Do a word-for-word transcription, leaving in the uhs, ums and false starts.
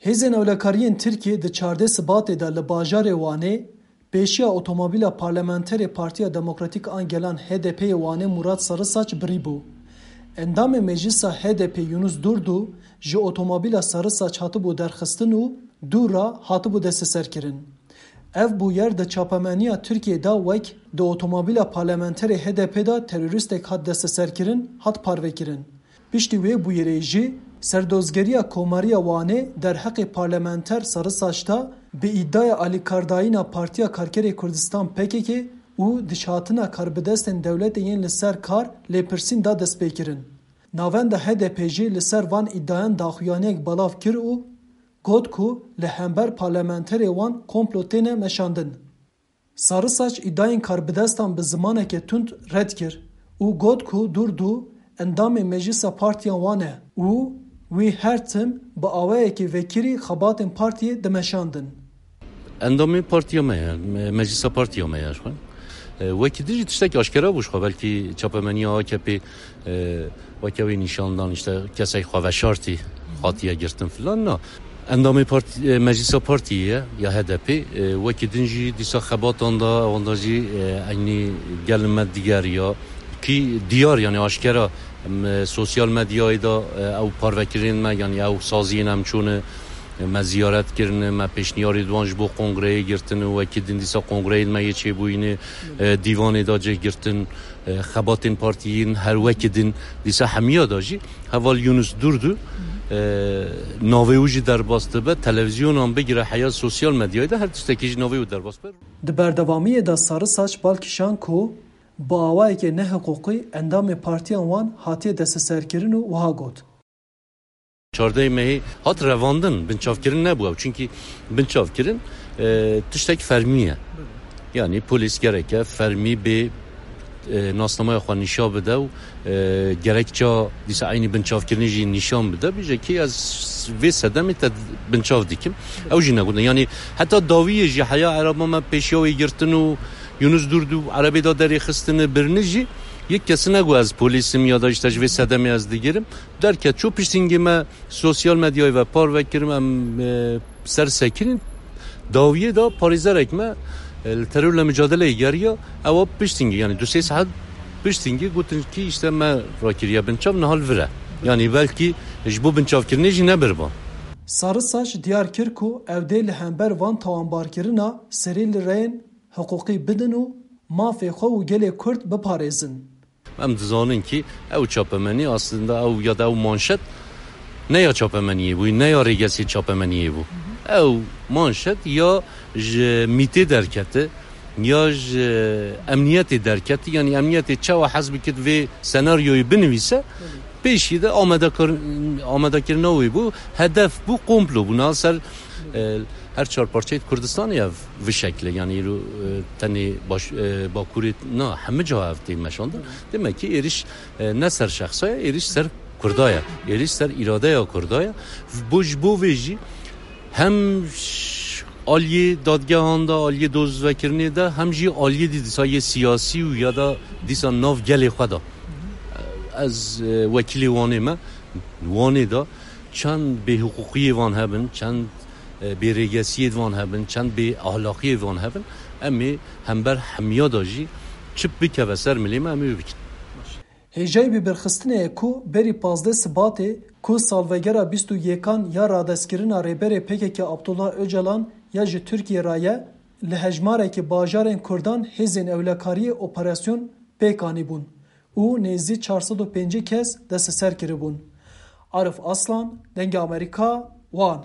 Hêzên ewlekariyên Tirkiyê di çardeh Sibatê de li bajarê Wanê pêşiya otomobîla parlamenterê Partiya Demokratîk a Gelan H D P'ê Wanê Murat Sarısaç birîbû. Endamê Meclisa H D P Yunus Durdu ji otomobîla Sarısaç hatibû derxistin û dû re hatibû desteserkirin. Ev bûyer di çapemeniya Tirkiyê de wek di otomobîla parlamenterê H D P de terorîstek hat desteserkirin, hat parvekirin. Piştî wê bûyerê jî, Serdozgeriya Komariya Wanê derheqê parlamenter Sarısaç de bi îdaya alîkardayîna Partiya Karkerê Kurdistan P K K û dişhatina karbidestên dewletê yên li ser kar lêpirsîn da destpêkirin. Navenda H D P jî li ser van îdayan daxuyaniyek belav kir û got ku li hember parlamenterê wan komplo têne meşandin. Sarısaç îdayên karbidestan bi zimaneke tund red kir û got ku Durdu endamê Meclisa Partiya wan e û wî her tim bi awayekî vekirî xebatên partiyê dimeşandin. Endamê partiya me ye, me-, meclisa partiya me ye ji xwe. E, wekî din jî tiştekî aşkera bû ji xwe, belkî çapemeniya A K P, e, weke wê nîşan dan, işte, kesek xwe veşartî hatiye girtin filan, na. Endamê partî, e, meclisa partiyê ye, ya H D P, e, wekî din jî dîsa xebatan da, ewanda jî, e, eynî gelin me digeriya. Kî diyar, yani aşkera, em, e, sosyal medyayê de, e, ew parvekirin me, yani ew saziyên em çûne, e, me ziyaret kirine, me pêşniyarê diwan ji bo kongreyê girtin û wekî din dîsa kongreyên me yê çêbûyînê, e, dîvanê da cih girtin, e, xebatên partiyên her wekî din dîsa hemiya da jî heval Yunus Durdu, e, navê wî jî derbas dibe, televîzyonan bigire heya sosyal medyayê de her tiştekî jî navê wî derbas be. Di berdewamiyê de Sarısaç bal kişand ku bi awayekê nehiqûqî endamê partiyan wan hatiye desteserkirin û wiha got. Çardeh mehê hat revandin, binçavkirin nebû ew. Çunkî binçavkirin, e, tiştek fermî ye. Yani polîs gereke fermî bê, e, nasnameya xwe nîşa bide û, e, gerekça dîsa eynî binçavkirinê jî nîşan bide. Bêje ki ez vê sedemê te binçav dikim. Ew jî negotin. Yani heta dawiyê jî heya eraba me pêşiya wê girtin û Yunus Durdu erebê da derê xistine birini jî yek kesi nego ez polîsim ya da işte ji vê sedemê ez digirim. Derket çû piştîngê me sosyal medyayê ve parve kirim, em, e, ser sekinîn. Dawiyê de parêzerek me, e, li terorle mücadeleyê geriya, ewa piştîngê, yani du sê saet piştîngê gotin ki işte me rakiriye binçav, niha li vir e. Yani belkî ji bo binçavkirinê jî nebiriba. Sarısaç diyar kir ku ew dê li hember van tawanbarkirina serî li reyên hiqûqî bidin û mafê xwe û gelê Kurd biparêzin. Em dizanin ki ew çapemenî aslında ew ya da ew manşet ne ya çapemeniyê bû, ne ya rêgesê çapemeniyê bû. Ew manşet ya ji mîtê derkete, ya ji emniyetê derkete, yani emniyetê çawa hez bikit vê senaryoyê binivîse, pêşî de amadekar-, amadekirina wê bû, hedef bû, komplo bû. Niha ser, e, her çar parçeyê Kurdistanê ev vi şekle, yani îro, e, tenê baş-, e, Bakurê na, hemî ca ev tê meşandin. Demek ki êriş, e, ne ser şexsa ye, êriş ser Kurda ye, êriş ser îradeya Kurda ye. Bo, ji bo vê jî hem ş-, aliyê dadgehan de, aliyê dozvekirinê de, hem jî aliyê dî dîsa yê siyasî û ya da dîsa nav gelê xwe de. Ez, e, wekîlê Wanê me, Wanê de çend bêhiqûqiyê van hebin, çend, e, bêrêgesiyê van hebin, çend bêahlaqiyê van hebin, em ê hember hemiya de jî çi bikeve ser milê me, em ê wê bikin. Hêjayî bibirxistinê ye ku berî pazdeh Sibatê ku salvegera bîst û yekan ya radestkirina Rêberê P K K Abdullah Ocalan ya ji Tirkiyê re ye, li hejmarekî bajarên Kurdan hêzên ewlekariyê operasyon pêk anîbûn û nêzî çar sed û pêncî kes desteser kiribûn. Arif Aslan, Dengê Amerîka, Wan.